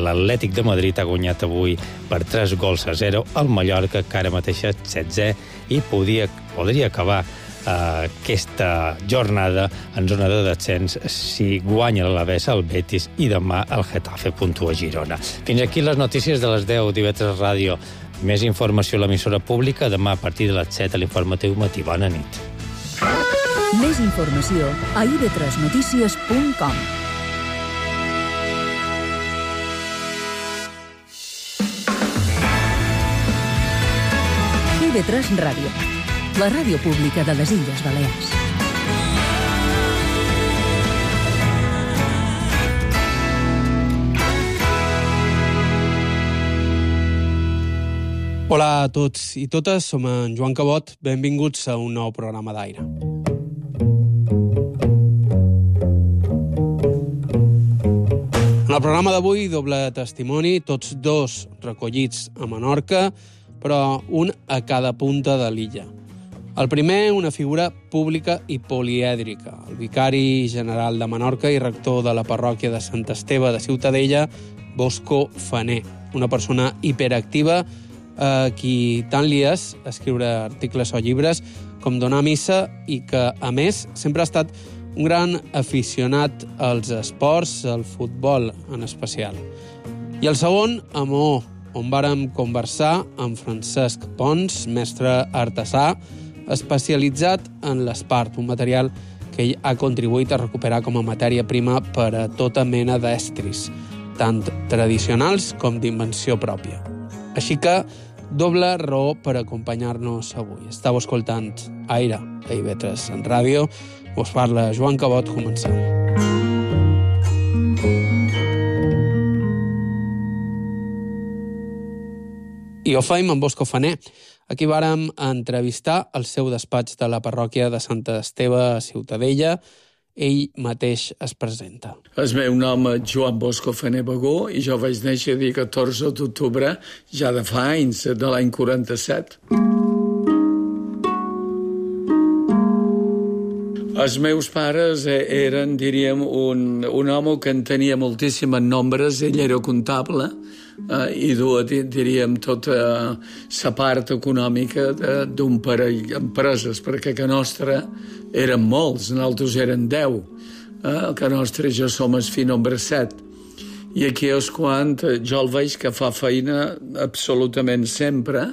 l'Atlètic de Madrid ha guanyat avui per 3-0 al Mallorca, que ara mateix és 16è, i podria acabar aquesta jornada en zona de descens si guanya l'Alavés al Betis i demà el Getafe puntua a Girona. Fins aquí les notícies de les 10 d'IV3 Ràdio. Més informació a l'emissora pública demà a partir de les 7 a l'informatiu matí. Bona nit. Més informació a ib3notícies.com. IB3 Ràdio, la ràdio pública de les Illes Balears. Hola a tots i totes, som en Joan Cabot. Benvinguts a un nou programa d'Aire. En el programa d'avui, doble testimoni, tots dos recollits a Menorca, però un a cada punta de l'illa. El primer, una figura pública i polièdrica, el vicari general de Menorca i rector de la parròquia de Sant Esteve de Ciutadella, Bosco Faner, una persona hiperactiva a qui tant li és escriure articles o llibres com donar missa i que, a més, sempre ha estat un gran aficionat als esports, al futbol en especial. I el segon, a Maó, on vàrem conversar amb Francesc Pons, mestre artesà, especialitzat en l'espart, un material que ell ha contribuït a recuperar com a matèria prima per a tota mena d'estris, tant tradicionals com d'invenció pròpia. Així que, doble raó per acompanyar-nos avui. Estàu escoltant Aire a IB3 en ràdio. Us parla Joan Cabot, començant. I ho faim amb Bosco Faner. Aquí vàrem entrevistar el seu despatx de la parròquia de Sant Esteve a Ciutadella. Ell mateix es presenta. El meu nom és Joan Bosco Faner Bagó i jo vaig néixer el dia 14 d'octubre ja de fa anys, de l'any 47. Els meus pares eren, diríem, un home que en tenia moltíssimes nombres. Ell era comptable i duia, diríem, tota la part econòmica d'un parell d'empreses, perquè a nostra eren molts, nosaltres eren 10. A nostra jo som el fill nombre 7. I aquí és quan jo el veig que fa feina absolutament sempre,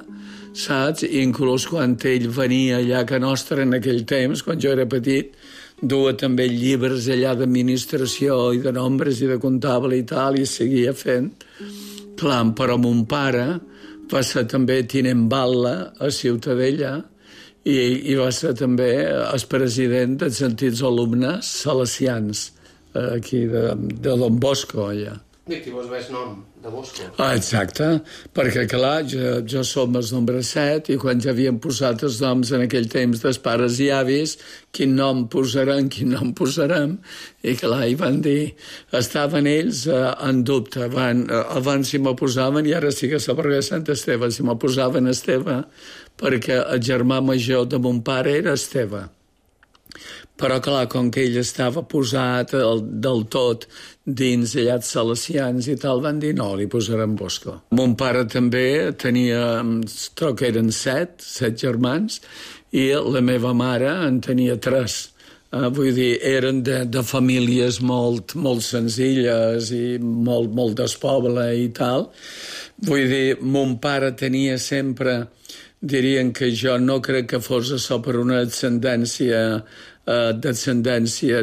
saps? Inclús quan ell venia allà a nostra en aquell temps, quan jo era petit, duia també llibres allà d'administració i de nombres i de comptable i tal, i seguia fent. Clar, però mon pare va ser també tinent batlle a Ciutadella i va ser també el president dels antics alumnes salesians aquí de Don Bosco, allà. I qui vos ves nom de Bosco? Exacte, perquè clar, jo som el nombre 7 i quan ja havien posat els noms en aquell temps dels pares i avis, quin nom posarem, i clar, hi van dir, estaven ells en dubte, abans si m'ho posaven i ara sí que sabré Sant Esteve, si m'ho posaven Esteve, perquè el germà major de mon pare era Esteve. Però, clar, com que ell estava posat del tot dins allà de salesians i tal, van dir no, li posarem Bosco. Mon pare també tenia, crec que eren 7 germans, i la meva mare en tenia 3. Vull dir, eren de famílies molt senzilles i molt despoble i tal. Vull dir, mon pare tenia sempre, dirien que jo no crec que fos això per una descendència,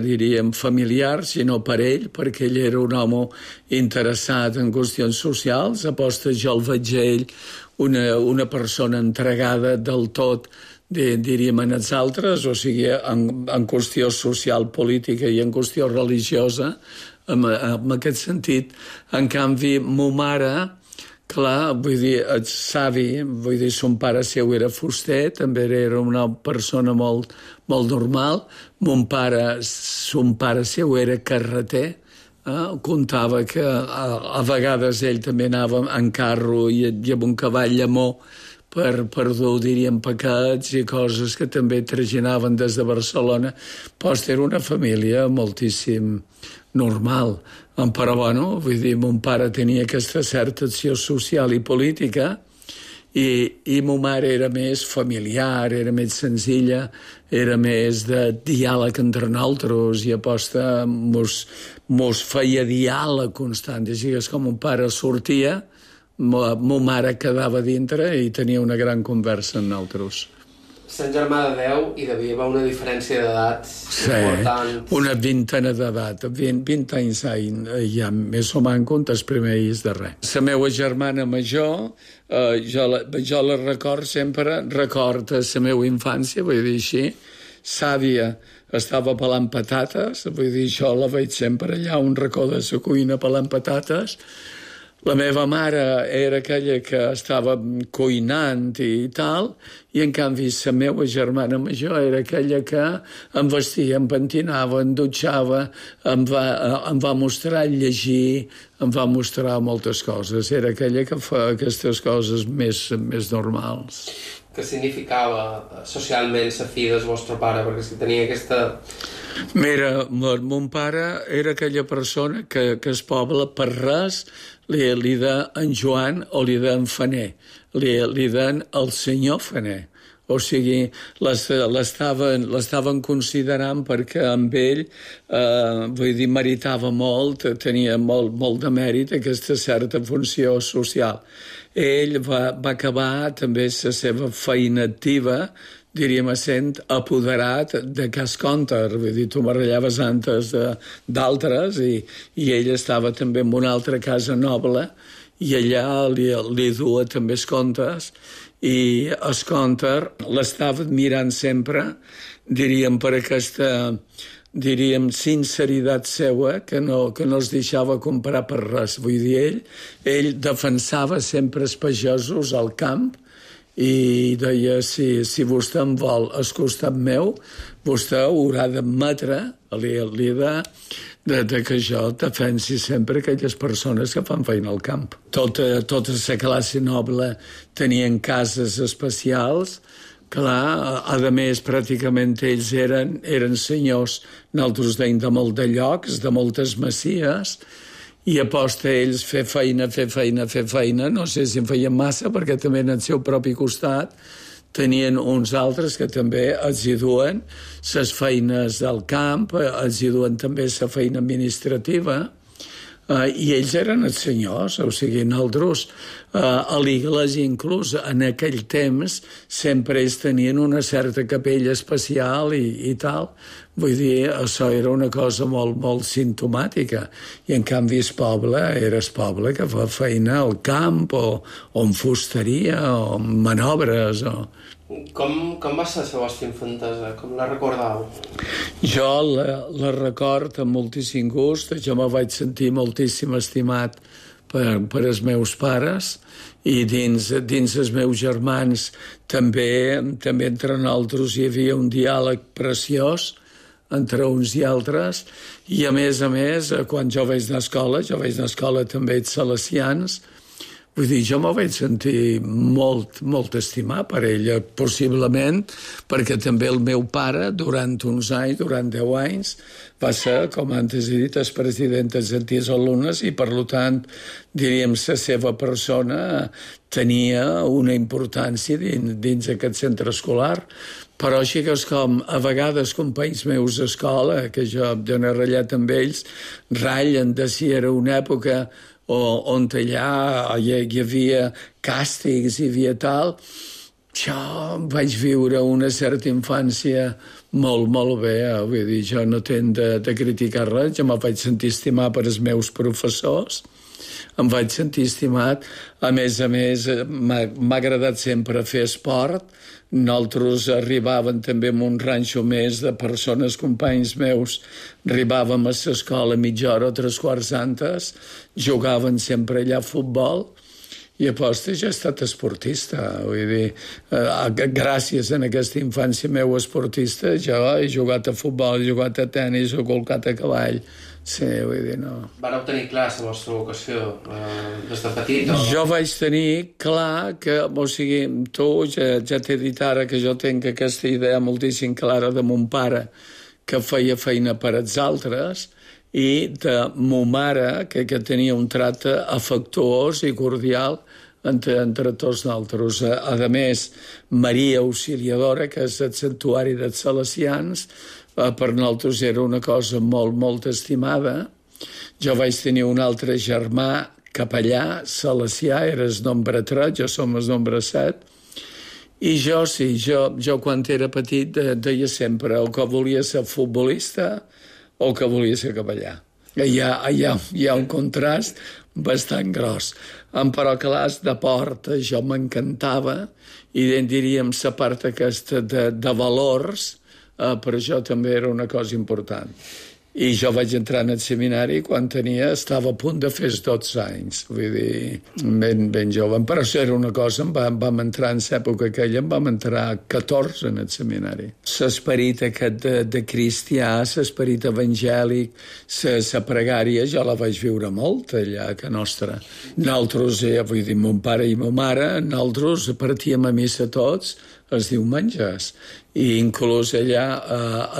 diríem, familiar, sinó per ell, perquè ell era un home interessat en qüestions socials. Aposta, jo el veig a ell una persona entregada del tot, diríem, en els altres, o sigui, en qüestió social, política i en qüestió religiosa, en aquest sentit. En canvi, mo mare, clar, vull dir, el savi, vull dir, son pare seu era fuster, també era una persona molt normal. Son pare seu era carreter, contava que a vegades ell també anava en carro i amb un cavall llamó per dur, diríem, paquets i coses que també traginaven des de Barcelona. Però era una família moltíssim normal. Però, bueno, vull dir, mon pare tenia aquesta certa acció social i política i ma mare era més familiar, era més senzilla, era més de diàleg entre nosaltres i aposta mos feia diàleg constant. Així que és com mon pare sortia, ma mare quedava dintre i tenia una gran conversa amb nosaltres. Sant germà de 10 i devia haver una diferència d'edat important. Sí, una vintena d'edat, 20 anys ja més o manco, els primers de res. La meva germana major, jo la record sempre, record la meva infància, vull dir així, sàvia, estava pelant patates, vull dir, jo la veig sempre allà, un racó de la cuina pelant patates. La meva mare era aquella que estava cuinant i tal, i en canvi la meva germana major era aquella que em vestia, em pentinava, em dutxava, em va mostrar llegir, em va mostrar moltes coses. Era aquella que fa aquestes coses més normals. Què significava socialment la fi del vostre pare? Perquè si tenia aquesta... Mira, mon pare era aquella persona que el poble per res li de en Joan o li de en Faner, li den el senyor Faner. O sigui, l'estaven considerant perquè amb ell, vull dir, meritava molt, tenia molt de mèrit aquesta certa funció social. Ell va acabar també la seva feina activa, diríem, sent apoderat de Cas Conter. Vull dir, tu barrellaves antes d'altres i ell estava també en una altra casa noble i allà li dua també els comptes i el Conter l'estava admirant sempre, diríem, per aquesta, diríem, sinceritat seua que no es deixava comprar per res. Vull dir, ell defensava sempre els pagesos al camp i deia, si vostè em vol al costat meu, vostè haurà d'admetre que jo defensi sempre aquelles persones que fan feina al camp. Tota la classe noble tenien cases especials. Clar, a més, pràcticament ells eren senyors, nosaltres deim de molt de llocs, de moltes masies, i aposta a ells fer feina, no sé si en feien massa, perquè també en el seu propi costat tenien uns altres que també els hi duen les feines del camp, els hi duen també la feina administrativa, i ells eren els senyors, o sigui, nosaltres a l'Iglésia inclús en aquell temps sempre ells tenien una certa capella especial i tal. Vull dir, això era una cosa molt simptomàtica i en canvi el poble era el poble que fa feina al camp o en fusteria o en manobres o... Com va ser la vostra infantesa? Com la recordeu? Jo la record amb moltíssim gust. Jo me vaig sentir moltíssim estimat per els meus pares i dins els meus germans també entre nosaltres hi havia un diàleg preciós entre uns i altres i a més, quan jo vaig anar a escola també els salesians. Vull dir, jo m'ho vaig sentir molt estimat per ella, possiblement perquè també el meu pare, durant uns anys, durant 10 anys, va ser, com antes he dit, el president dels antics alumnes i, per tant, diríem, la seva persona tenia una importància dins aquest centre escolar. Però així que és com, a vegades, companys meus d'escola, que jo n'he ratllat amb ells, ratllen de si era una època on allà hi havia càstigs, hi havia tal. Jo vaig viure una certa infància molt bé, vull dir, jo no tenc de criticar res, jo me vaig sentir estimat per els meus professors, em vaig sentir estimat, a més, m'ha agradat sempre fer esport, nosaltres arribàvem també en un ranxo més de persones, companys meus, arribàvem a l'escola mitja hora o 3/4 antes, jugaven sempre allà a futbol, i aposta jo he estat esportista, vull dir, gràcies a aquesta infància meu esportista, jo he jugat a futbol, he jugat a tennis, he colcat a cavall, sí, vull dir, no. Vareu tenir clar la vostra vocació des de petit? O... Jo vaig tenir clar que, o sigui, tu ja t'he dit ara que jo tinc aquesta idea moltíssim clara de mon pare que feia feina per als altres i de mo mare, que tenia un tracte afectuós i cordial entre tots nosaltres. A més, Maria Auxiliadora, que és el santuari dels salesians, per nosaltres era una cosa molt, molt estimada. Jo vaig tenir un altre germà capellà, salesià, era el nombre 3, jo som el nombre 7, i jo quan era petit deia sempre o que volia ser futbolista o que volia ser capellà. Hi ha un contrast bastant gros. Però clars de port, jo m'encantava, i diríem la part aquesta de valors, per això també era una cosa important. I jo vaig entrar en el seminari quan estava a punt de fer 12 anys, vull dir, ben jove. Però això era una cosa, vam entrar en l'època aquella, vam entrar 14 en el seminari. L'esperit aquest de cristià, l'esperit evangèlic, la pregària, jo la vaig viure molt allà a Can Nostra. Nosaltres, vull dir, mon pare i ma mare, nosaltres partíem a missa tots els diumenges, i inclús allà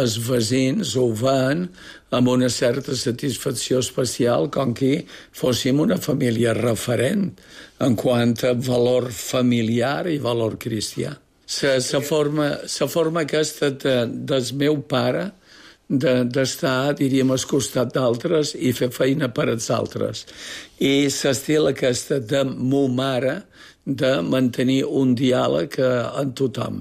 els veïns ho van amb una certa satisfacció especial, com que fóssim una família referent en quant a valor familiar i valor cristià. La forma aquesta del meu pare d'estar, diríem, al costat d'altres i fer feina per als altres. I l'estil aquesta de mo mare, de mantenir un diàleg amb tothom.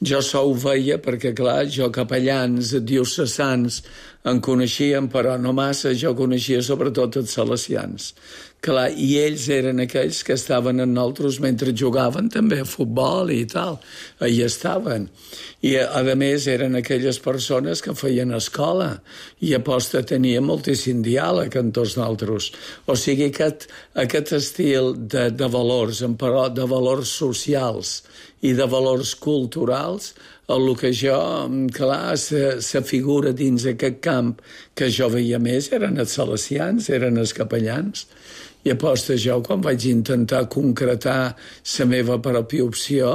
Jo ho veia perquè, clar, jo capellans diocesans en coneixíem, però no massa, jo coneixia sobretot els salesians. Clar, i ells eren aquells que estaven amb nosaltres mentre jugaven també a futbol i tal. Allà estaven. I, a més, eren aquelles persones que feien escola i aposta tenia moltíssim diàleg amb tots nosaltres. O sigui, aquest estil de valors, però de valors socials i de valors culturals, el que jo, clar, la figura dins aquest camp que jo veia més eren els salesians, eren els capellans. I aposta jo, quan vaig intentar concretar la meva pròpia opció,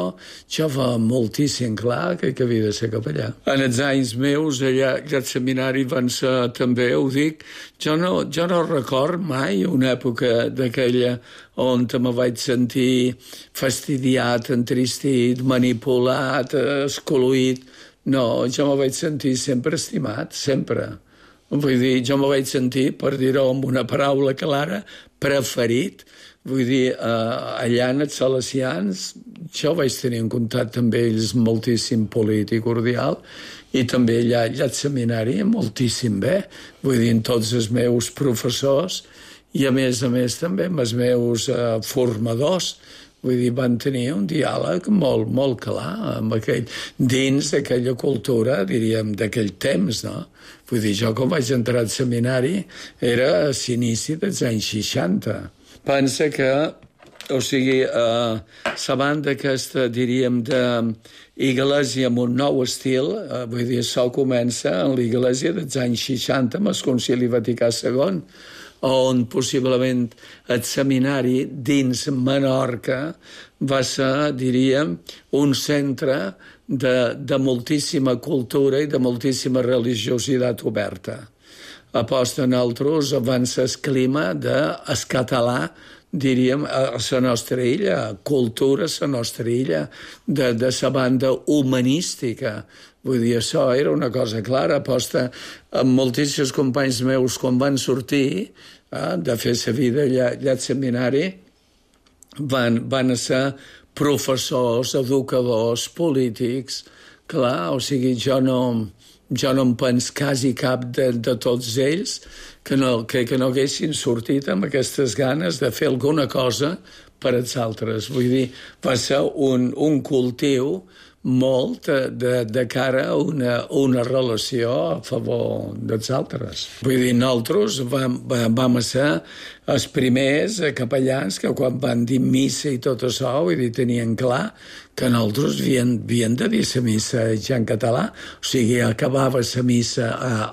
jo va moltíssim clar que havia de ser capellà. En els anys meus, allà al seminari van ser, també ho dic, jo no record mai una època d'aquella on me vaig sentir fastidiat, entristit, manipulat, excloït. No, jo me vaig sentir sempre estimat, sempre. Vull dir, jo me vaig sentir, per dir-ho amb una paraula clara, preferit. Vull dir, allà en els salesians, jo vaig tenir un contacte amb ells moltíssim polític, cordial, i també allà al seminari moltíssim bé. Vull dir, amb tots els meus professors i, a més també amb els meus formadors. Vull dir, van tenir un diàleg molt, molt clar dins d'aquella cultura, diríem, d'aquell temps, no? Vull dir, jo quan vaig entrar al seminari era a l'inici dels anys 60. Pensa que, o sigui, la banda aquesta, diríem, d'Iglésia amb un nou estil, vull dir, això comença en l'Iglésia dels anys 60 amb el Concili Vaticà II, on possiblement el seminari dins Menorca va ser, diríem, un centre de moltíssima cultura i de moltíssima religiositat oberta. Aposta nosaltres avança el clima del català, diríem, a la nostra illa, cultura a la nostra illa, de la banda humanística. Vull dir, això era una cosa clara. Aposta amb moltíssims companys meus quan van sortir de fer la vida allà al seminari, van ser professors, educadors, polítics. Clar, o sigui, jo no em penso quasi cap de tots ells que no haguessin sortit amb aquestes ganes de fer alguna cosa per als altres. Vull dir, va ser un cultiu molt de cara a una relació a favor dels altres. Vull dir, nosaltres vam ser els primers capellans que quan van dir missa i tot això, vull dir, tenien clar que nosaltres havien de dir la missa ja en català. O sigui, acabava la missa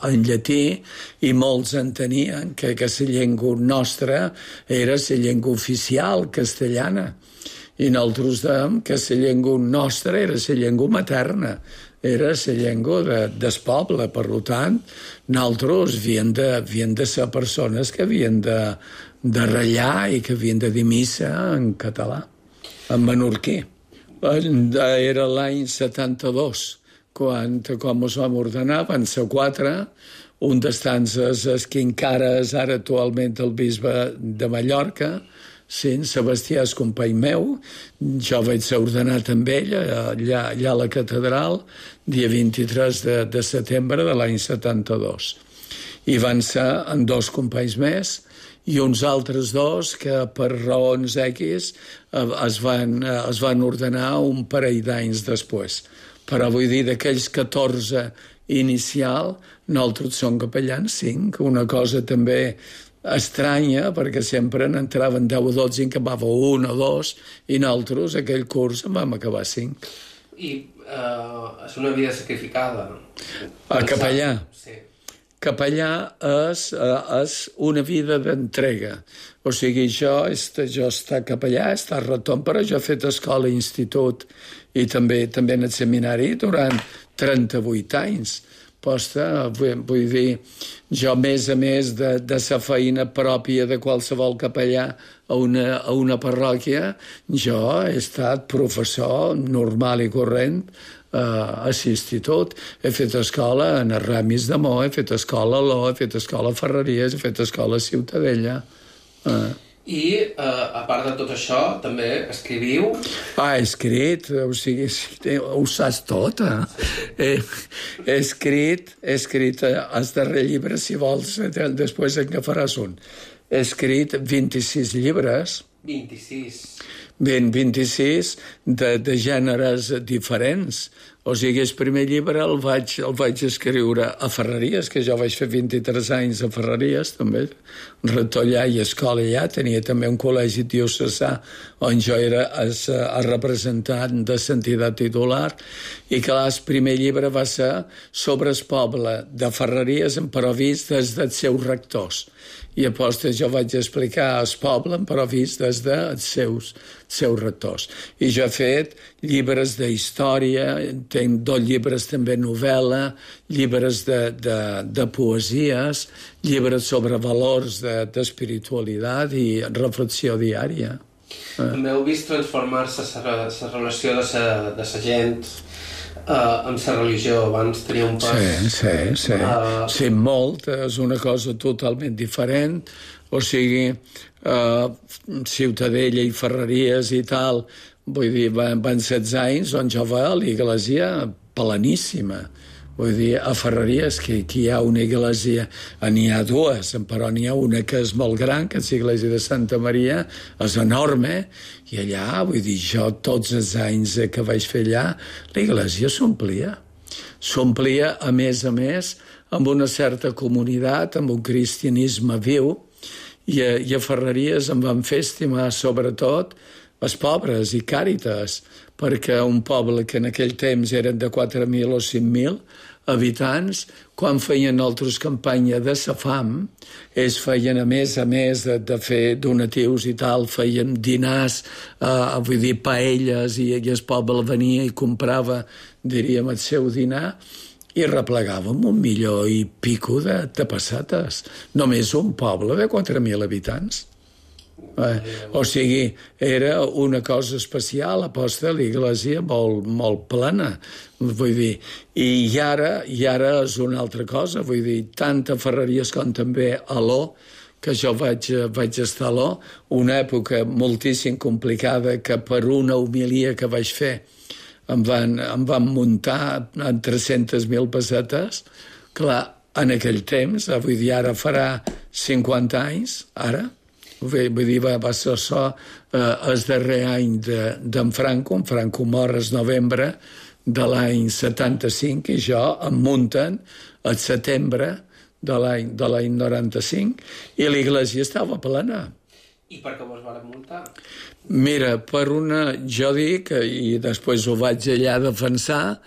en llatí i molts entenien que la llengua nostra era la llengua oficial castellana. I nosaltres dèiem que la llengua nostra era la llengua materna, era la llengua del poble. Per tant, nosaltres havien de ser persones que havien de ratllar i que havien de dir missa en català, en menorquí. Era l'any 72, quan ens vam ordenar, van ser 4, un dels tants és que encara és ara actualment el bisbe de Mallorca, sí, Sebastià és company meu, jo vaig ser ordenat amb ell allà a la catedral, dia 23 de setembre de l'any 72. I van ser en 2 companys més i uns altres 2 que per raons X es van ordenar un parell d'anys després. Però vull dir, d'aquells 14 inicial, nosaltres som capellans 5, una cosa també estranya, perquè sempre n'entraven 10 o 12 i en acabava 1 o 2, i nosaltres aquell curs en vam acabar 5. I és una vida sacrificada. Capellà? Sí. Capellà és una vida d'entrega. O sigui, jo està capellà, està retorn, però jo he fet escola i institut i també en el seminari durant 38 anys. Posta, vull dir, jo a més de la feina pròpia de qualsevol capellà a una parròquia, jo he estat professor normal i corrent a l'institut. He fet escola en Ramis d'Amor, he fet escola a l'O, he fet escola a Ferreries, he fet escola a Ciutadella. I, a part de tot això, també escriviu? He escrit, o sigui, ho saps tot, He escrit el darrer llibre, si vols, després en agafaràs un. He escrit 26 llibres. 26? 26 de gèneres diferents. O sigui, el primer llibre el vaig escriure a Ferreries, que jo vaig fer 23 anys a Ferreries, també, rector allà i escola allà. Tenia també un col·legi diocesà on jo era el representant de l'entitat titular, i que el primer llibre va ser sobre el poble de Ferreries, però vist des dels seus rectors. I aposta jo vaig explicar el poble, però vist des dels seus rectors. I jo he fet llibres d'història, tinc 2 llibres també novel·la, llibres de poesies, llibres sobre valors d'espiritualitat i reflexió diària. També heu vist transformar-se la relació de la gent amb la religió. Abans tenia un pas... Sí, molt. És una cosa totalment diferent. O sigui, Ciutadella i Ferreries i tal, vull dir, van 16 anys on jo va a l'església pleníssima. Vull dir, a Ferreries, que hi ha una església, n'hi ha 2, però n'hi ha una que és molt gran, que és l'església de Santa Maria, és enorme, i allà, vull dir, jo tots els anys que vaig fer allà, l'església s'omplia. S'omplia, a més, amb una certa comunitat, amb un cristianisme viu, i a Ferreries em van fer estimar, sobretot, els pobres i Càritas, perquè un poble que en aquell temps eren de 4.000 o 5.000 habitants, quan feien altres campanya de la fam, ells feien, a més de fer donatius i tal, feien dinars, vull dir, paelles, i el poble venia i comprava, diríem, el seu dinar, i replegàvem 1 milió i pico de pessetes. Només un poble de 4.000 habitants. O sigui, era una cosa especial, aposta l'església molt plena, vull dir, i ara és una altra cosa, vull dir, tant a Ferreries com també a l'O, que jo vaig estar a l'O, una època moltíssim complicada, que per una homilia que vaig fer em van muntar en 300.000 pessetes. Clar, en aquell temps, vull dir, ara farà 50 anys, ara. Vull dir, va ser això el darrer any d'en Franco. En Franco mor el novembre de l'any 75 i jo em munten al setembre de l'any 95 i l'església estava plena. I per què vos van muntar? Mira, jo dic, i després ho vaig allà defensar,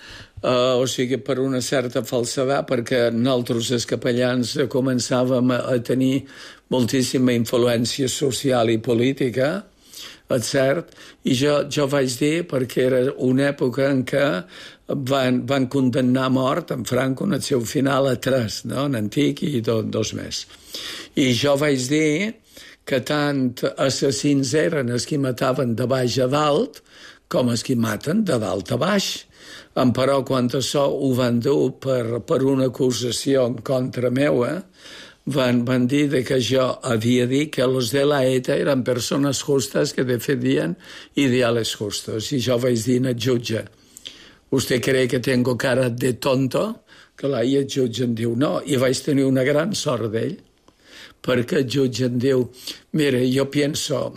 o sigui, per una certa falsedat, perquè nosaltres, els capellans, començàvem a tenir moltíssima influència social i política és cert, i jo vaig dir, perquè era una època en què van condemnar a mort en Franco en el seu final a 3, no? En antic i 2 més. I jo vaig dir que tant assassins eren els que mataven de baix a dalt com els que maten de dalt a baix. Però quan això ho van dur per una acusació en contra meua, van dir que jo havia dit que los de la ETA eren persones justes que defendien ideales justos. I jo vaig dir al jutge, ¿usted cree que tengo cara de tonto? Clar, i el jutge em diu, no. I vaig tenir una gran sort d'ell, perquè el jutge em diu, mira, jo penso,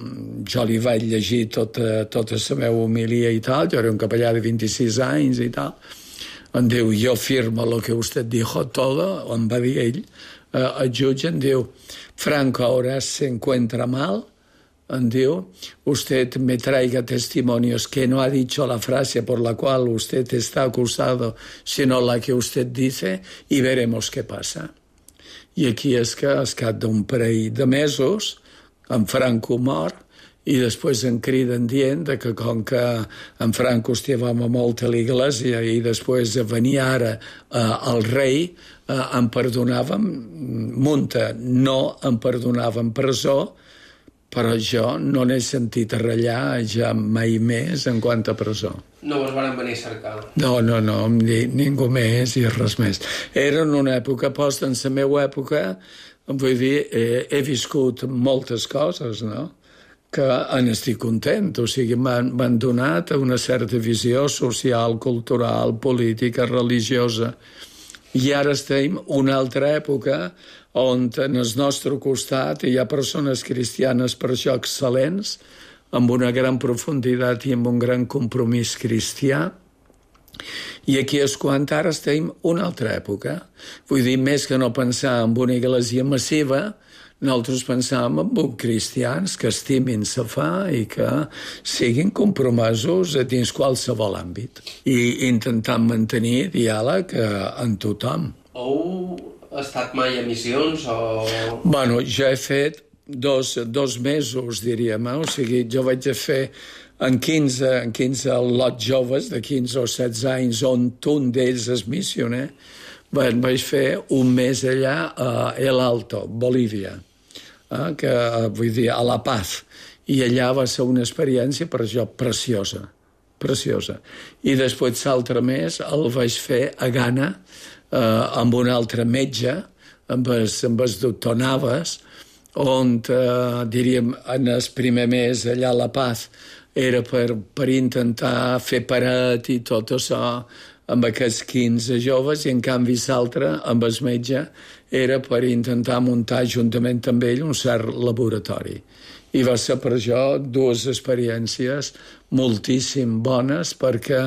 jo li vaig llegir tota la meva homilia i tal, jo era un capellà de 26 anys i tal, em diu, yo firmo lo que usted dijo todo, em va dir ell, el jutge em diu, Franco ahora se encuentra mal, em diu, usted me traiga testimonios que no ha dicho la frase por la cual usted está acusado, sino la que usted dice, y veremos qué pasa. I aquí és que al cap d'un parell de mesos, en Franco mor, i després em criden dient que com que en Franco estimava molt a l'Iglésia i després venia ara el rei, em perdonaven multa, no em perdonaven presó, però jo no n'he sentit a ratllar ja mai més en quant a presó. No us van venir a cercar? No, ningú més i res més. Era en una època, en la meva època, vull dir, he viscut moltes coses, no?, que n'estic content. O sigui, m'han donat una certa visió social, cultural, política, religiosa. I ara estem en una altra època on en el nostre costat hi ha persones cristianes per això excel·lents, amb una gran profunditat i amb un gran compromís cristià. I aquí és quan ara estem en una altra època. Vull dir, més que no pensar en una església massiva, nosaltres pensàvem en cristians que estimin la fe i que siguin compromesos dins qualsevol àmbit i intentant mantenir diàleg amb tothom. Heu estat mai a missions o...? Bueno, jo he fet dos mesos, diríem, o sigui, jo vaig fer en 15 lots joves de 15 o 16 anys, on un d'ells és missioner, vaig fer un mes allà a El Alto, Bolívia, que vull dir, a La Paz, i allà va ser una experiència per jo preciosa. I després l'altre mes el vaig fer a Ghana amb un altre metge, amb el doctor Navas, on, diríem, en el primer mes allà a La Paz era per intentar fer paret i tot això amb aquests 15 joves, i en canvi l'altre, amb el metge, era per intentar muntar juntament amb ell un cert laboratori. I va ser per jo 2 experiències moltíssim bones, perquè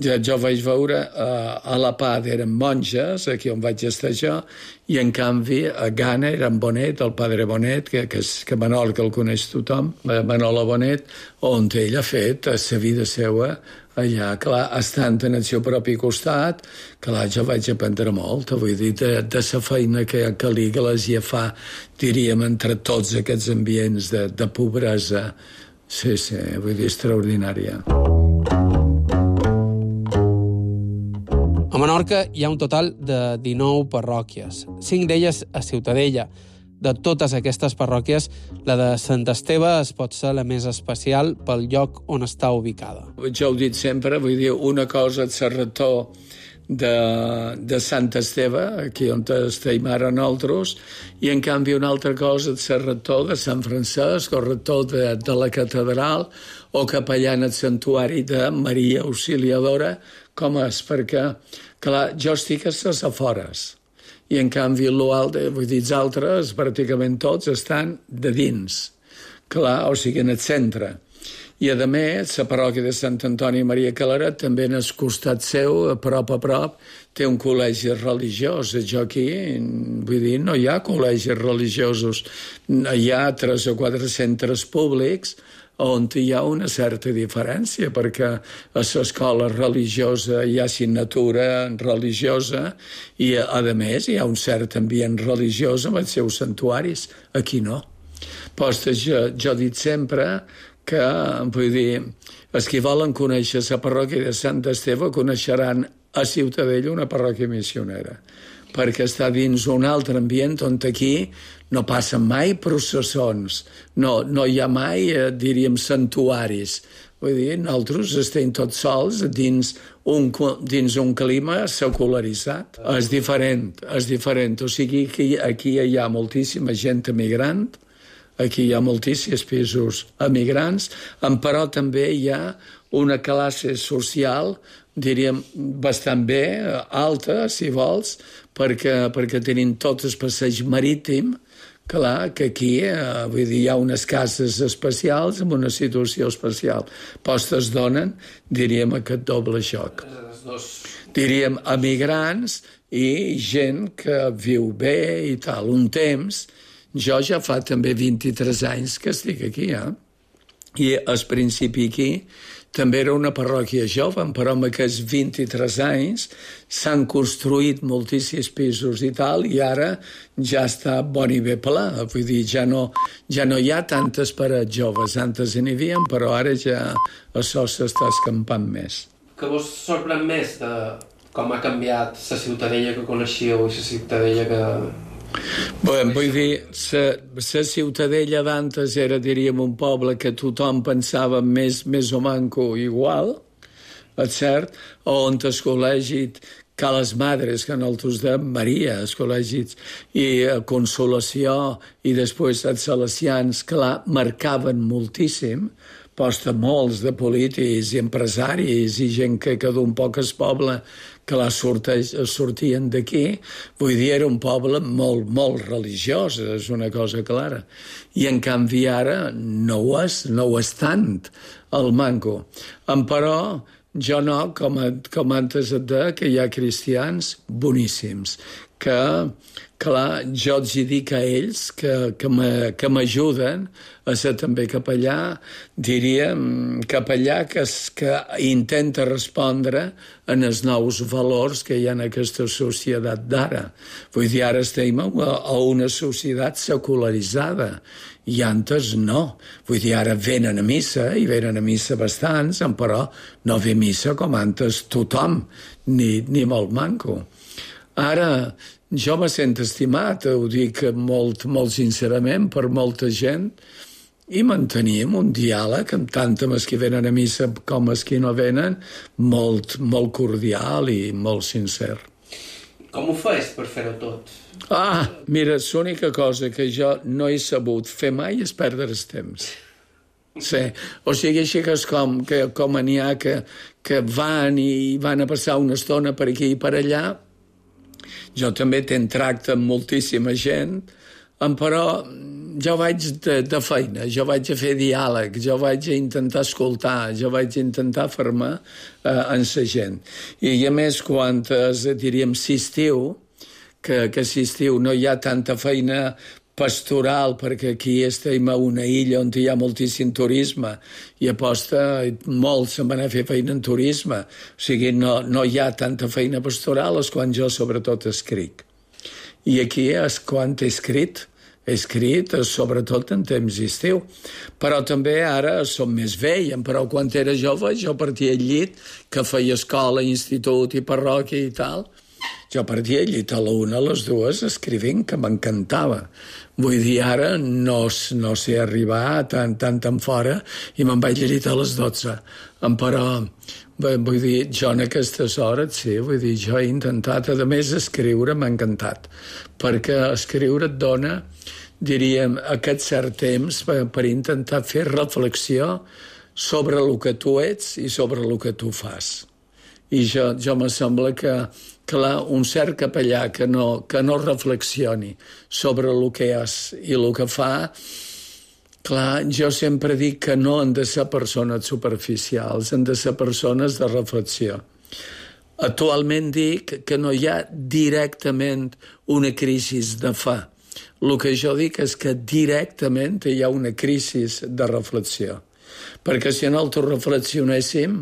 jo vaig veure a La Paz eren monges, aquí on vaig estar jo, i en canvi a Ghana era en Bonet, el padre Bonet, que Manol, que el coneix tothom, Manolo Bonet, on ell ha fet la vida seva allà, clar, estant en el seu propi costat, clar, jo vaig aprendre molt, vull dir, de la feina que l'Iglésia fa, diríem, entre tots aquests ambients de pobresa. Sí, vull dir, extraordinària. A Menorca hi ha un total de 19 parròquies, 5 d'elles a Ciutadella. De totes aquestes parròquies, la de Sant Esteve es pot ser la més especial pel lloc on està ubicada. Jo ho he dit sempre, vull dir, una cosa és el rector de Sant Esteve, aquí on estem ara nosaltres, i en canvi una altra cosa és el rector de Sant Francesc, o rector de la catedral, o capellà en el santuari de Maria Auxiliadora, com és, perquè, clar, jo estic a les afores, i en canvi vull dir, els altres, pràcticament tots, estan de dins, clar, o sigui, en el centre. I, a més, la parròquia de Sant Antoni Maria Claret, també en el costat seu, a prop, té un col·legi religiós. Jo aquí, vull dir, no hi ha col·legis religiosos. Hi ha 3 o 4 centres públics on hi ha una certa diferència, perquè a l'escola religiosa hi ha assignatura religiosa i, a més, hi ha un cert ambient religiós amb els seus santuaris. Aquí no. Jo he dit sempre que, vull dir, els que volen conèixer la parròquia de Sant Esteve coneixeran a Ciutadella una parròquia missionera, perquè està dins un altre ambient on aquí no passen mai processons, no hi ha mai, diríem, santuaris. Vull dir, nosaltres estem tots sols dins un clima secularitzat. És diferent. O sigui, aquí hi ha moltíssima gent emigrant, aquí hi ha moltíssims pisos emigrants, però també hi ha una classe social, diríem, bastant bé, alta, si vols, perquè tenim tot el passeig marítim. Clar, que aquí vull dir, hi ha unes cases especials amb una situació especial. Postes donen, diríem, aquest doble xoc. Diríem, emigrants i gent que viu bé i tal. Un temps, jo ja fa també 23 anys que estic aquí, I al principi aquí també era una parròquia jove, però amb aquests 23 anys s'han construït moltíssims pisos i tal, i ara ja està bon i bé pla. Vull dir, ja no hi ha tantes parets joves. Antes n'hi havia, però ara ja això s'està escampant més. Què vos sorprèn més de com ha canviat la Ciutadella que coneixíeu i la Ciutadella que... Vull dir, la Ciutadella d'antes era, diríem, un poble que tothom pensava més o manco igual, és cert, on el col·legi Cales Madres, que nosaltres dèiem Maria, els col·legis, i Consolació, i després els Salesians, clar, marcaven moltíssim, posta molts de polítics i empresaris i gent que d'un poc es poble que sortien d'aquí. Vull dir, era un poble molt, molt religiós, és una cosa clara. I en canvi ara no ho és tant, el manco. Però jo no, com antes et deia, que hi ha cristians boníssims, que, clar, jo els dic a ells que m'ajuden a ser també capellà, diríem capellà que intenta respondre en els nous valors que hi ha en aquesta societat d'ara. Vull dir, ara estem a una societat secularitzada, i antes no. Vull dir, ara venen a missa, i venen a missa bastants, però no ve missa com antes tothom, ni molt manco. Ara, jo me sento estimat, ho dic molt, molt sincerament, per molta gent, i mantenim un diàleg amb tant amb els que venen a missa com els que no venen, molt, molt cordial i molt sincer. Com ho fas per fer-ho tot? Mira, l'única cosa que jo no he sabut fer mai és perdre el temps. Sí, o sigui, així que és com n'hi ha que van a passar una estona per aquí i per allà. Jo també tenc tracte amb moltíssima gent, però jo vaig de feina, jo vaig a fer diàleg, jo vaig a intentar escoltar, jo vaig a intentar fer-me en la gent. I a més, quan diríem s'estiu, que s'estiu no hi ha tanta feina pastoral, perquè aquí estem a una illa on hi ha moltíssim turisme i aposta molt se'n van a fer feina en turisme. O sigui, no hi ha tanta feina pastoral, és quan jo sobretot escric. I aquí és quan he escrit sobretot en temps d'estiu. Però també ara som més vell, però quan era jove jo partia al llit, que feia escola, institut i parròquia i tal. Jo partia al llit a la 1, a les 2, escrivint, que m'encantava. Vull dir, ara no sé arribar tan fora i me'n vaig al llit a les 12. Però, vull dir, jo en aquestes hores, sí, vull dir, jo he intentat, a més, escriure m'ha encantat, perquè escriure et dona, diríem, aquest cert temps per intentar fer reflexió sobre el que tu ets i sobre el que tu fas. I jo me sembla que, clar, un cert capellà que no reflexioni sobre el que és i el que fa, clar, jo sempre dic que no han de ser persones superficials, han de ser persones de reflexió. Actualment dic que no hi ha directament una crisi de fe. El que jo dic és que directament hi ha una crisi de reflexió. Perquè si nosaltres reflexionéssim,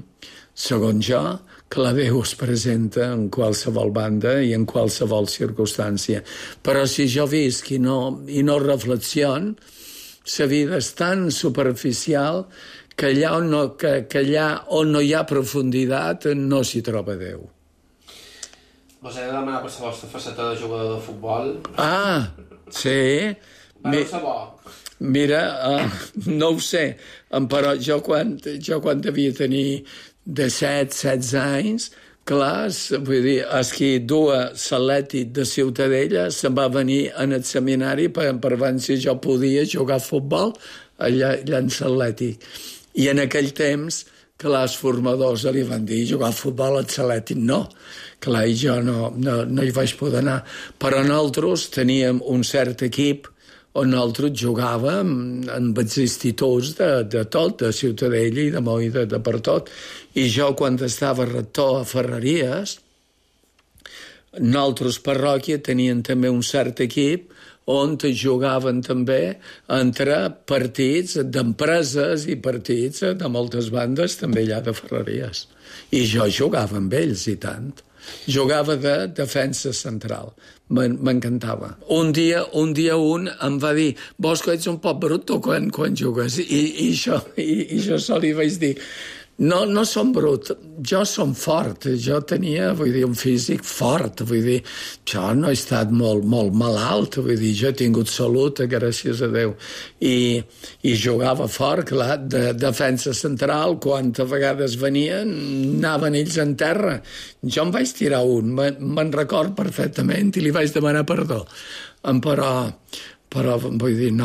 segons jo, que la Déu es presenta en qualsevol banda i en qualsevol circumstància. Però si jo visc i no reflexion, la vida és tan superficial que allà on no hi ha profunditat no s'hi troba Déu. Vos he de demanar per la vostra faceta de jugador de futbol. Ah, sí. Vau ser bo. Mira, no ho sé, però jo quan devia tenir 17-16 anys, clar, vull dir, el que duia l'Atlètic de Ciutadella se'n va venir en el seminari per veure si jo podia jugar a futbol allà en l'Atlètic. I en aquell temps, clar, els formadors li van dir jugar a futbol a l'Atlètic no. Clar, i jo no hi vaig poder anar. Però nosaltres teníem un cert equip on nosaltres jugàvem amb els instituts de tot, de Ciutadella i de Moi, de per tot. I jo, quan estava rector a Ferreries, nosaltres parròquia tenien també un cert equip on jugaven també entre partits d'empreses i partits de moltes bandes també allà de Ferreries. I jo jugava amb ells, i tant. Jugava de defensa central. M'encantava. Un dia un em va dir «Vos que ets un poc brut quan jugues?» I jo sol li vaig dir no som brut, jo som fort. Jo tenia, vull dir, un físic fort. Vull dir, jo no he estat molt malalt. Vull dir, jo he tingut salut, gràcies a Déu. I jugava fort, clar, de defensa central. Quantes vegades venien, anaven ells en terra. Jo em vaig tirar un, me'n record perfectament, i li vaig demanar perdó. Però vull dir,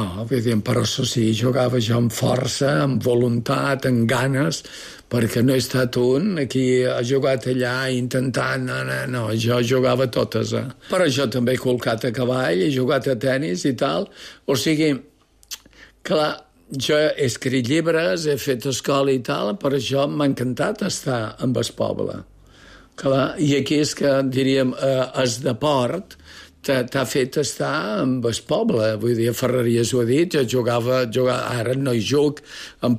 però això sí, jugava jo amb força, amb voluntat, amb ganes, perquè no he estat un qui ha jugat allà intentant, no, jo jugava totes, Però jo també he colcat a cavall, he jugat a tennis i tal, o sigui, clar, jo he escrit llibres, he fet escola i tal, però això m'ha encantat estar amb el poble. Clar, i aquí és que, diríem, el deport t'ha fet estar amb el poble. Vull dir, a Ferreries ho he dit, jo jugava, ara no hi juc,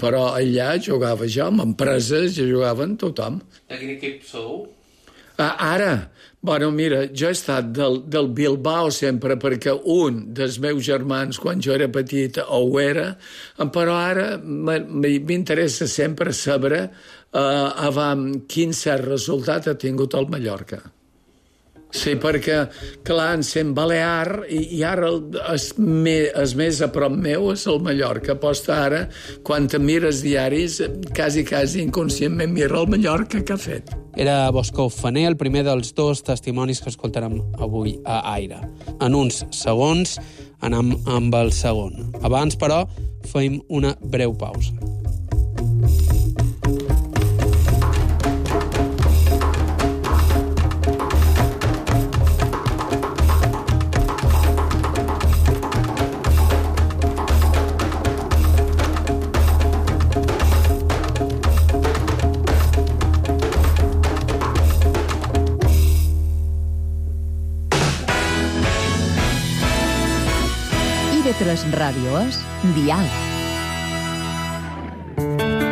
però allà jugava jo, amb empreses, jo jugava amb tothom. De quin equip sou? Ara, bueno, mira, jo he estat del Bilbao sempre, perquè un dels meus germans, quan jo era petit, ho era, però ara m'interessa sempre saber quin cert resultat ha tingut el Mallorca. Sí, perquè, clar, en sent balear, i ara el més a prop meu és el Mallorca. Posta ara, quan te mires diaris, quasi inconscientment mira el Mallorca que ha fet. Era Bosco Faner, el primer dels dos testimonis que escoltarem avui a Aire. En uns segons anem amb el segon. Abans, però, fem una breu pausa. TV3 Ràdio és Diàleg.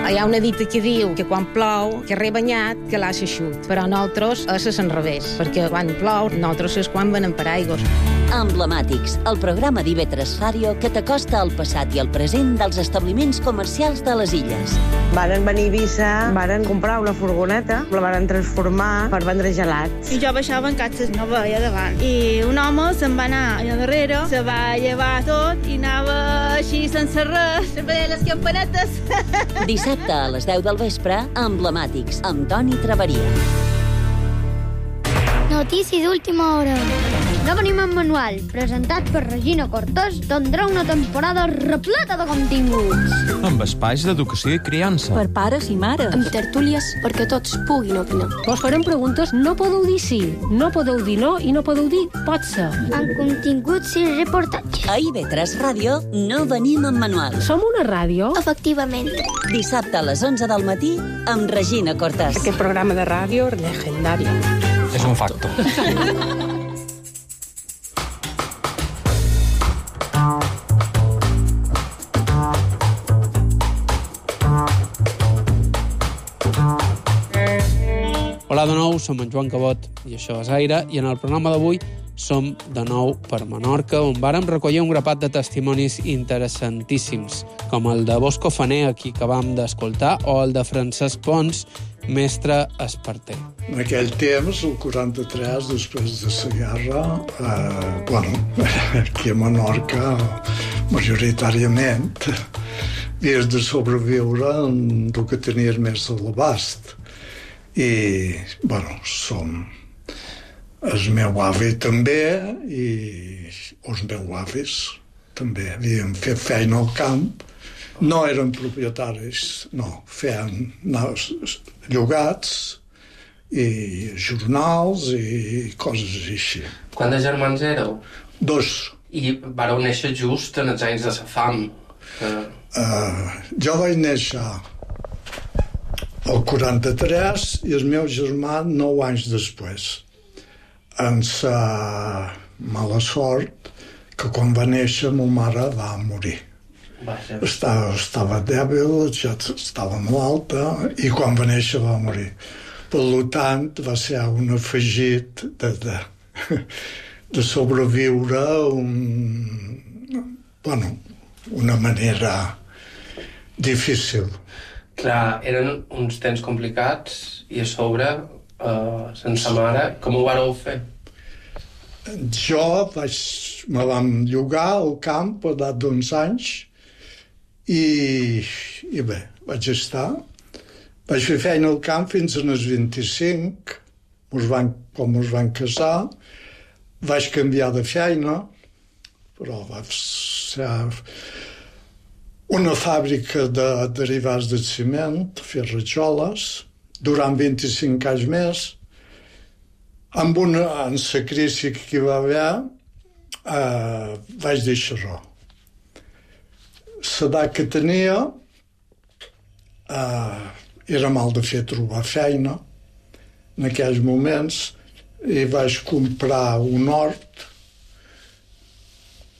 Hi ha una dita que diu que quan plou, que rebanyat, que l'ha eixut. Però nosaltres és l'enrevés, perquè quan plou, nosaltres és quan venen paraigües. Emblemàtics, el programa d'IV3 Ràdio que t'acosta al passat i al present dels establiments comercials de les illes. Varen venir a Eivissa, varen comprar una furgoneta, la varen transformar per vendre gelats. I jo baixava en catxes, no veia davant. I un home se'n va anar allà darrere, se va llevar tot i anava així sense res, veia les campanetes. Dissabte a les 10 del vespre, Emblemàtics, amb Toni Traveria. Notícies d'última hora. No venim en manual, presentat per Regina Cortés, tindrà una temporada repleta de continguts. Amb espais d'educació i criança. Per pares i mares. Amb tertúlies perquè tots puguin opinar. Vos farem preguntes, no podeu dir sí, no podeu dir no i no podeu dir pot ser. Amb continguts i reportatges. A IV3 Ràdio no venim en manual. Som una ràdio? Efectivament. Dissabte a les 11 del matí amb Regina Cortés. Aquest programa de ràdio legendari. És un facto. Hola, Hola de nou, som en Joan Cabot i això és Aire, i en el programa d'avui som de nou per Menorca, on vàrem recollir un grapat de testimonis interessantíssims, com el de Bosco Faner, a qui acabam d'escoltar, o el de Francesc Pons, mestre esparter. En aquell temps, el 43, després de la guerra, aquí a Menorca, majoritàriament, havies de sobreviure en el que tenies més a l'abast. I, som el meu avi també i els meus avis també havien fet feina al camp. No eren propietaris, no, feien llogats i jornals i coses així. Quants de germans éreu? 2. I vareu néixer just en els anys de la fam. Jo vaig néixer el 43 i el meu germà 9 anys després. En la mala sort que quan va néixer ma mare va morir. Estava dèbil, ja estava malalta i quan va néixer va morir. Per tant, va ser un afegit de sobreviure una manera difícil. Clar, eren uns temps complicats i a sobre, sense mare, com ho vareu fer? Jo me vam llogar al camp a l'edat d'11 anys i bé, vaig estar. Vaig fer feina al camp fins als 25, quan ens van casar. Vaig canviar de feina, però va ser una fàbrica de derivats de ciment, fer rajoles, durant 25 anys més. En la crisi que hi va haver, vaig deixar-ho. L'edat que tenia era mal de fer trobar feina en aquells moments i vaig comprar un hort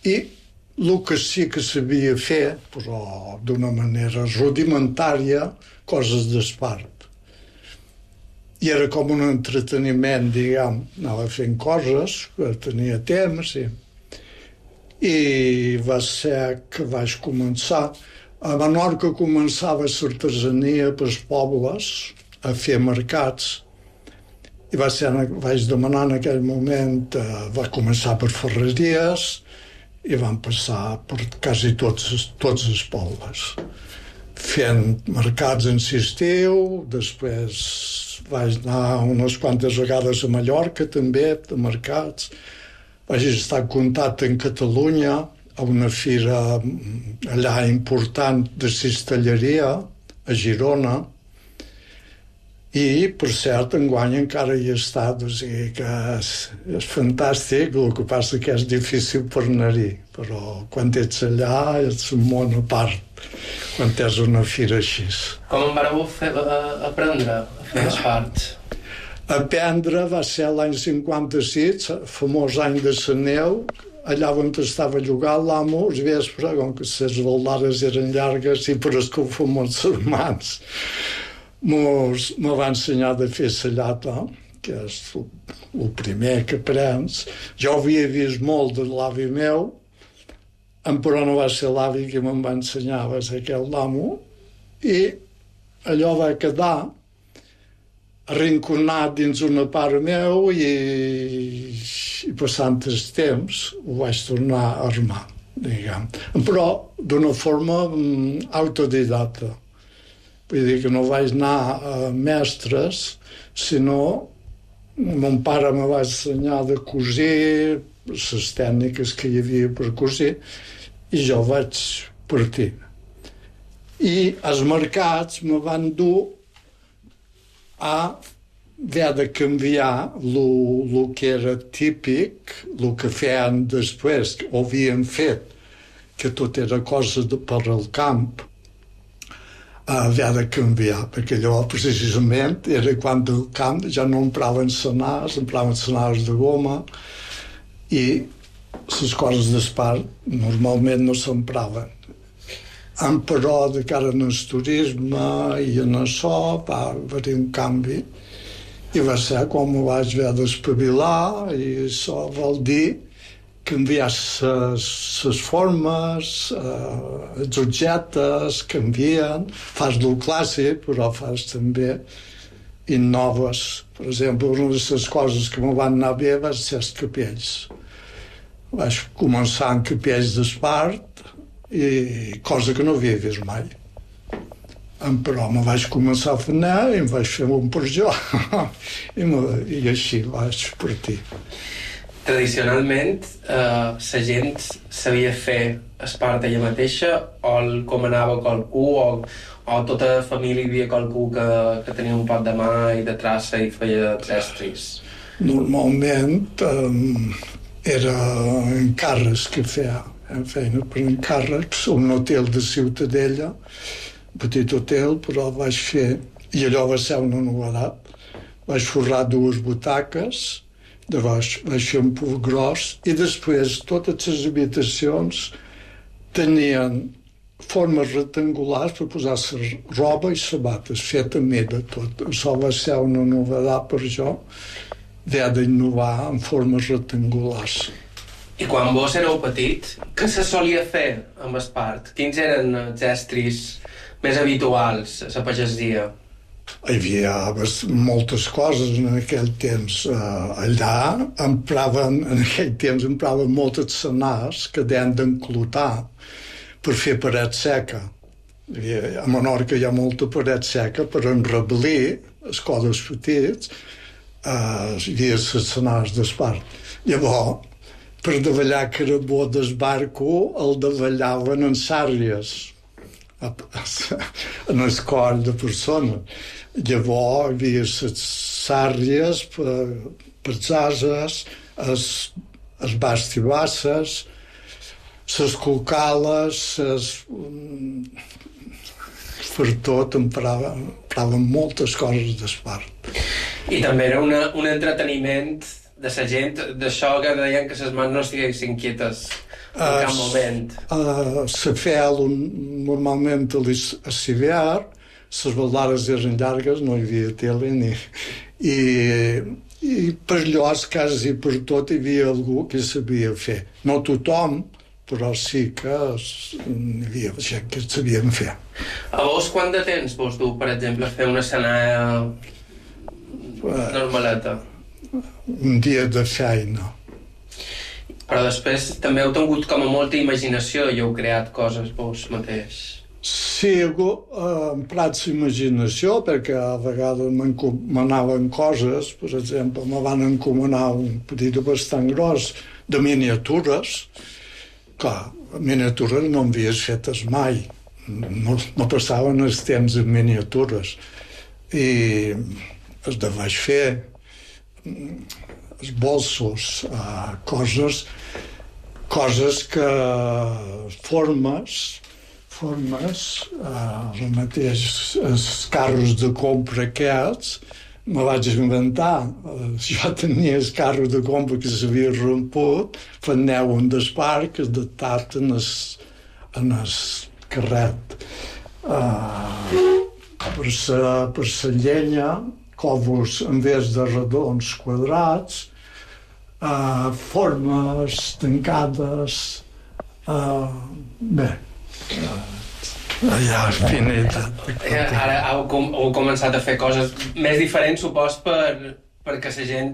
i el que sí que sabia fer, però d'una manera rudimentària, coses d'espart. I era com un entreteniment, diguem, anava fent coses, tenia temps, i va ser que vaig començar. A Menorca començava l'artesania pels pobles, a fer mercats, i vaig demanar en aquell moment, va començar per ferreries, i van passar per quasi tots els pobles, fent mercats en l'estiu. Després vaig anar unes quantes vegades a Mallorca, també, de mercats. Vaig estar en contacte en Catalunya, a una fira allà important de cistelleria, a Girona, i, per cert, enguany encara hi he estat, o sigui que és fantàstic, el que passa que és difícil per anar-hi, però quan ets allà és un món a part, quan tens una fira així. Com en vareu aprendre a fer espart? Aprendre va ser l'any 56, el famós any de la neu, allà on estava llogat l'amo, al vespre, com que les baldades eren llargues i per escalfar molts mans, me va ensenyar de fer la llata, que és el primer que aprens. Jo havia vist molt de l'avi meu, però no va ser l'avi que me'n va ensenyar, va ser aquell l'amo, i allò va quedar arrinconat dins una part meu i passant el temps ho vaig tornar a armar, diguem. Però d'una forma autodidacta. Vull dir que no vaig anar a mestres, sinó mon pare me va ensenyar de cosir, les tècniques que hi havia per cosir, i jo vaig partir. I els mercats me van dur a haver de canviar el que era típic, el que feien després, o havien fet, que tot era cosa per al camp, a haver de canviar, perquè allò precisament era quan del camp ja no empraven senars, empraven senars de goma, i les coses d'espart normalment no s'empraven. Però de cara al turisme i en això va haver un canvi I va ser com ho vaig haver d'espavilar, i això vol dir canviar les formes, els objectes canvien, fas del clàssic, però fas també innoves. Per exemple, una de les coses que me van anar bé va ser els capells. Vaig començar amb capells d'espart, i cosa que no havia vist mai. Però me vaig començar a fer i em vaig fer un per jo. I així vaig partir. Tradicionalment, la gent sabia fer espart ella mateixa o el comanava qualcú o tota la família hi havia qualcú que tenia un pot de mà i de traça i feia estris? Normalment era encàrrecs que feina per encàrrecs, un hotel de Ciutadella, un petit hotel, però vaig fer, i allò va ser una novetat, vaig forrar 2 butaques, vaig fer un pur gros, i després totes les habitacions tenien formes rectangulars per posar la roba i sabates, fet a mida tot. Això va ser una novetat per jo, haver d'innovar en formes rectangulars. I quan vos éreu petit, què se solia fer amb espart? Quins eren els estris més habituals a la pagesia? Hi havia moltes coses en aquell temps. Allà empraven moltes senars que deien d'enclotar per fer paret seca. A Menorca hi ha molta paret seca per enreblir els codes petits, hi havia les senars d'espart. Llavors, per davallar carabó d'esbarco, el davallaven en sàrries, en el coll de persones. Llavors hi havia les sàrries per les ases, els bastibasses, les colcales, per tot empraven moltes coses d'espart. I també era un entreteniment de la gent, d'això que deien que les mans no estiguessin quietes en cap moment. La fel, normalment a l'hivern, les baldades eren llargues, no hi havia tele i per llocs quasi per tot hi havia algú que sabia fer. No tothom, però sí que hi havia gent que sabien fer. A vos quant de temps vos du, per exemple, fer una senalla normaleta? Un dia de feina. Però després també heu tingut com a molta imaginació i heu creat coses vos mateix. Sí, he emprat l'imaginació perquè a vegades m'encomanaven coses. Per exemple, me van encomanar un petit bastant gros de miniatures. Clar, miniatures no havies fetes mai. No passaven els temps en miniatures. I els de vaig fer els bolsos, coses que formes, el mateix, els carros de compra aquests, me vaig inventar. Jo tenia els carros de compra que s'havia romput, fent-ne un d'espart que es adaptat en el carret. Per la llenya, còvols en vez de redons quadrats, formes tancades, bé, allà finitat. Ara heu començat a fer coses més diferents, supos, perquè la gent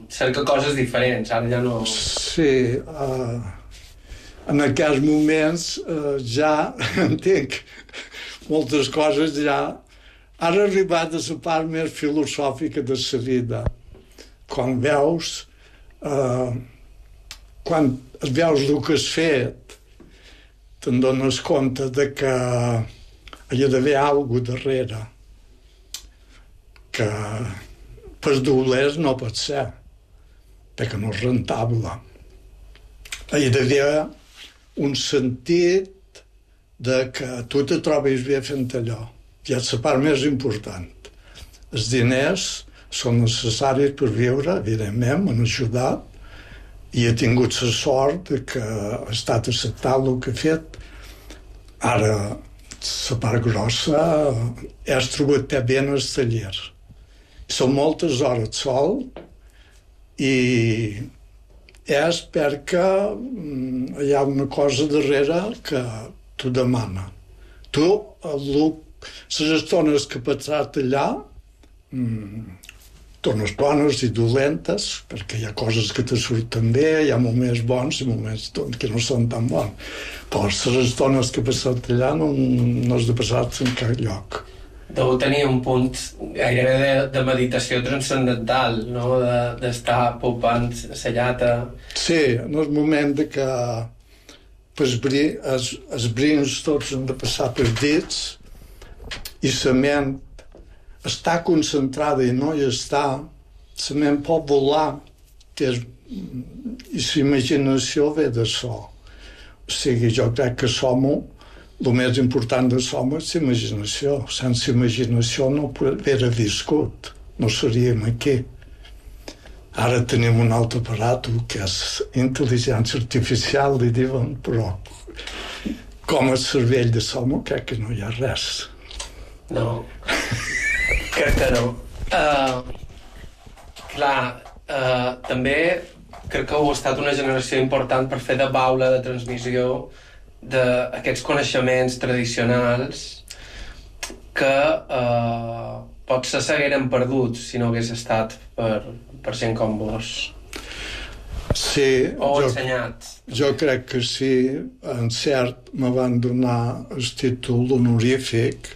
cerca coses diferents, ara ja no... Sí, en aquests moments ja entenc moltes coses ja. Ara ha arribat a la part més filosòfica de la vida. Quan veus el que has fet, te'n dones compte de que hi ha d'haver alguna cosa darrere, que per dolers no pot ser, perquè no és rentable. Hi ha d'haver un sentit de que tu te trobis bé fent allò. I és la part més important. Els diners són necessaris per viure, evidentment, m'han ajudat, i he tingut la sort que ha estat acceptat el que he fet. Ara, la part grossa, has trobat bé en el taller. són moltes hores de sol i és perquè hi ha una cosa darrere que t'ho demana. Tu, les estones que passat allà, estones bones i dolentes, perquè hi ha coses que te surten bé, hi ha moments bons i moments que no són tan bons. Però les estones que he passat allà no has de passar-te en cap lloc. Deu tenir un punt gairebé de meditació transcendental, no? D'estar popant la llata. Sí, en el moment de que els brins tots han de passar pels dits i la ment està concentrada i no hi està, la ment pot volar i la imaginació ve de so. O sigui, jo crec que el més important de som és l'imaginació. Sense imaginació no hauria viscut, no seríem aquí. Ara tenim un altre aparato que és intel·ligència artificial, li diuen, però com el cervell de som crec que no hi ha res. No, crec que no. També crec que heu estat una generació important per fer de baula de transmissió d'aquests coneixements tradicionals que potser s'hagueren perdut si no hagués estat per gent com vos. Sí. O ensenyat. Jo crec que sí. En cert, me van donar el títol honorífic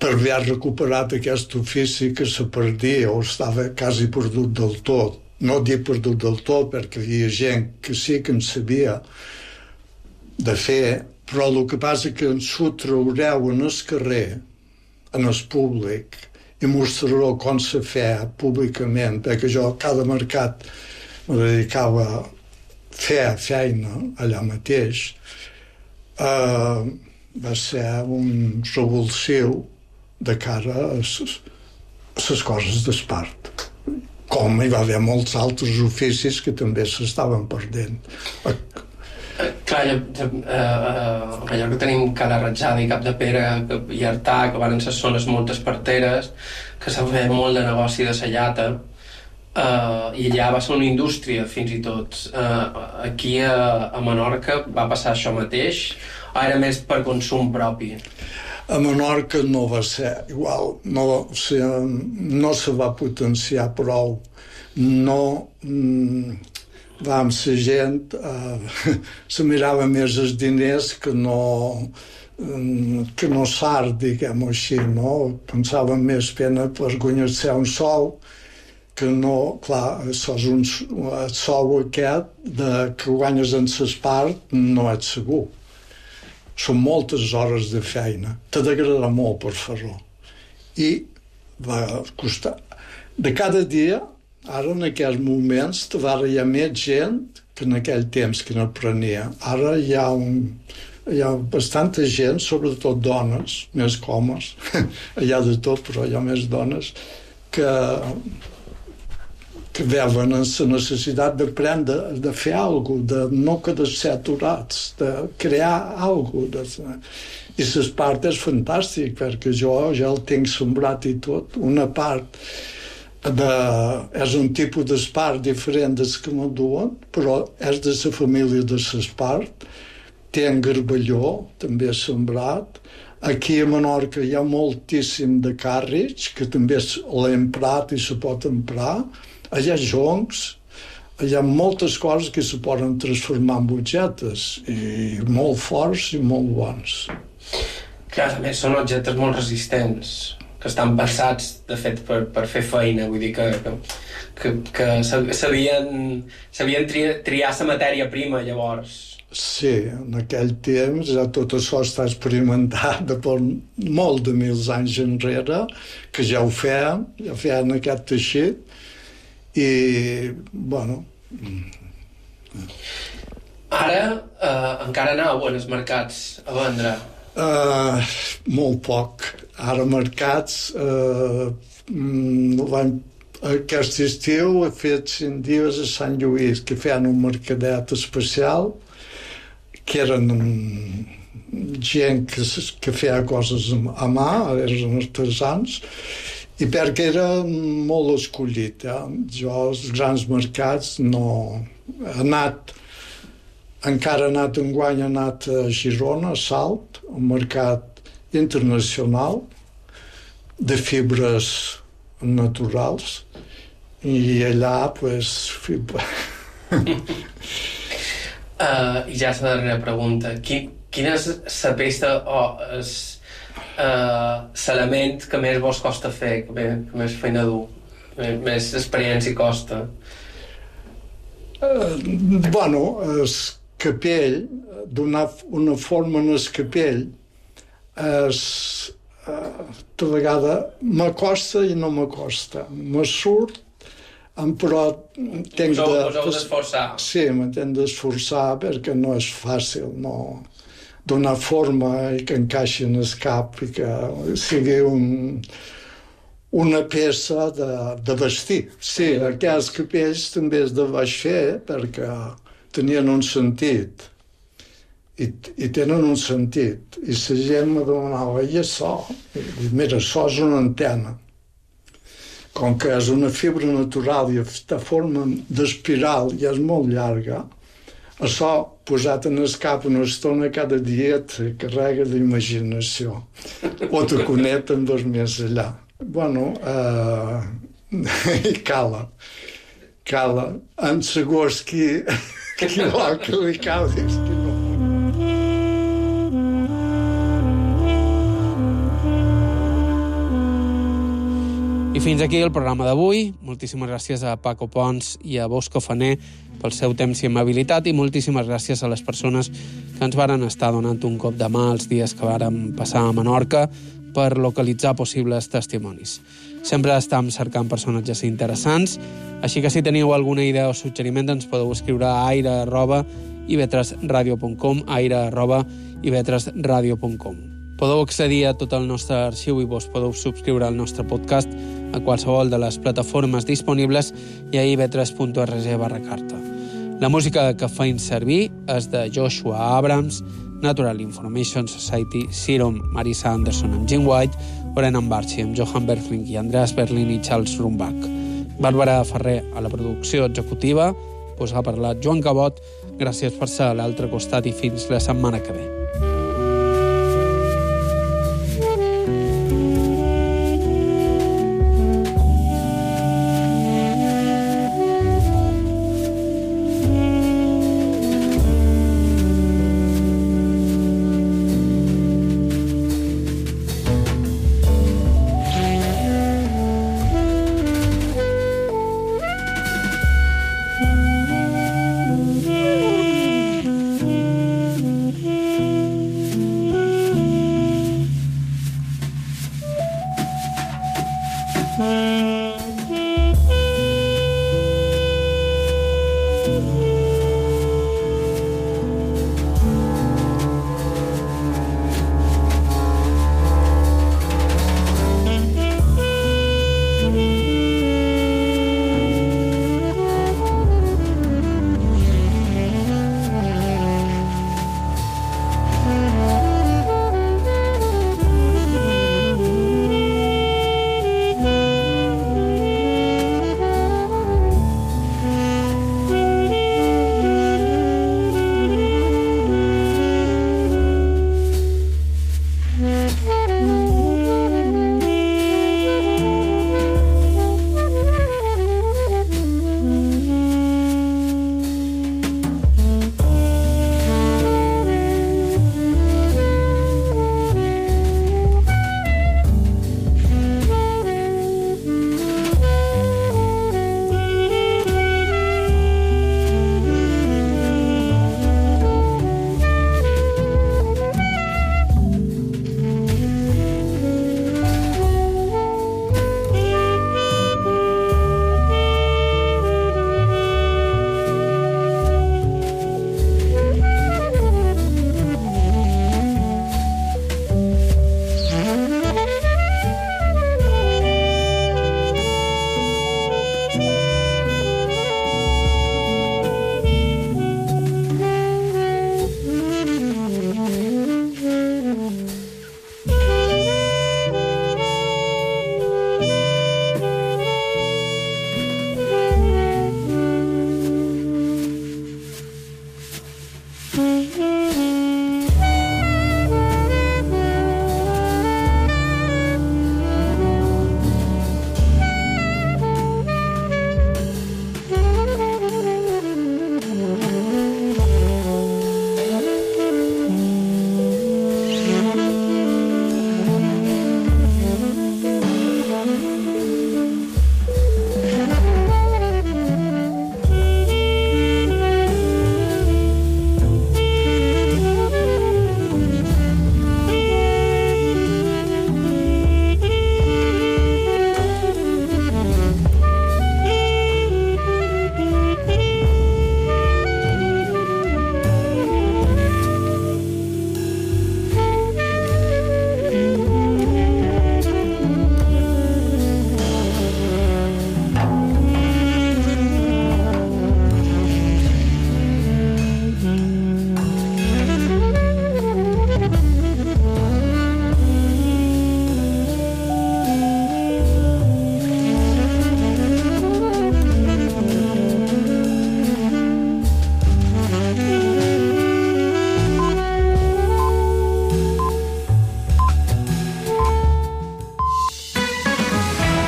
per haver recuperat aquest ofici que se perdia o estava quasi perdut del tot. No dic perdut del tot, perquè hi havia gent que sí que en sabia de fer, però el que passa és que ens ho traureu en el carrer, en el públic, i mostrareu com se feia públicament, perquè jo a cada mercat me dedicava a fer feina allà mateix. Va ser un revulsiu de cara a les coses d'espart. Com hi va haver molts altres oficis que també s'estaven perdent. Clar, a Mallorca tenim Cala Ratjada i Capdepera i Artà, que van ser zones molt esparteres, que s'ha fet molt de negoci de la llata, i allà va ser una indústria, fins i tot. Aquí a Menorca va passar això mateix, o era més per consum propi? A Menorca no va ser igual, no se va potenciar prou, no vam ser gent, se mirava més els diners que no sart, diguem-ho així, no? Pensava més pena per guanyar-se un sou, que no, clar, el sou aquest que guanyes en l'espart no és segur. Són moltes hores de feina. T'ha d'agradar molt per fer-ho. I va costar. De cada dia, ara en aquests moments, hi ha més gent que en aquell temps que n'aprenia. Ara hi ha bastanta gent, sobretot dones, més que homes. Hi ha de tot, però hi ha més dones, que veuen la necessitat d'aprendre, de fer alguna cosa, de no quedar-se aturats, de crear alguna cosa. I l'espart és fantàstic, perquè jo ja el tinc sembrat i tot. Una part és un tipus d'espart diferent dels que m'enduen, però és de la família de l'espart. Té en garballó, també sembrat. Aquí a Menorca hi ha moltíssim de càrrecs, que també l'he emprat i se pot emprar. Hi ha joncs, hi ha moltes coses que se poden transformar en butxetes, i molt forts i molt bons. Clar, a més, són objectes molt resistents, que estan pensats, de fet, per fer feina, vull dir que sabien triar la matèria prima, llavors. Sí, en aquell temps ja tot això està experimentat per molt de mils anys enrere, que ja ho feien aquest teixit, i, bueno... Ara encara aneu en els mercats a vendre? Molt poc. Ara mercats... Aquest estiu he fet 5 dies a Sant Lluís, que feien un mercadet especial, que eren gent que feia coses a mà, eren artesans, i perquè era molt escollit. Jo als grans mercats no he anat, encara he anat enguany, he anat a Girona, a Salt, un mercat internacional de fibres naturals, i allà, pues... I ja és la darrera pregunta. Quina és la peça o l'element que més vos costa fer, que més feina dur, més experiència costa? Bueno, el capell, donar una forma en el capell, de vegada m'acosta i no m'acosta. Me surt, però tenc de... Us heu d'esforçar. Sí, m'he d'esforçar perquè no és fàcil, no donar forma i que encaixi en el cap i que sigui una peça de vestir. Sí, aquests capells també es de vaig fer perquè tenien un sentit i tenen un sentit, i la gent me demanava, i això? I mira, això és una antena. Com que és una fibra natural i està forma d'espiral i és molt llarga, això, posat en el cap una estona cada dia, te carrega d'imaginació. O te connecten més allà. Bueno, i cala. En segons qui vol que li cali, qui no. I fins aquí el programa d'avui. Moltíssimes gràcies a Paco Pons i a Bosco Faner pel seu temps i amabilitat, i moltíssimes gràcies a les persones que ens varen estar donant un cop de mà els dies que vàrem passar a Menorca per localitzar possibles testimonis. Sempre estem cercant personatges interessants, així que si teniu alguna idea o suggeriment ens podeu escriure a aire@ivetresradio.com, aire@ivetresradio.com. Podeu accedir a tot el nostre arxiu i vos podeu subscriure al nostre podcast a qualsevol de les plataformes disponibles i a ivetres.org/carta. La música que feim servir és de Joshua Abrams, Natural Information Society, Serum, Marisa Anderson amb Jim White, Oren Barchi amb Johan Berfling i Andreas Berlin i Charles Rumbach. Bàrbara Ferrer a la producció executiva, us ha parlat Joan Cabot. Gràcies per ser a l'altre costat i fins la setmana que ve.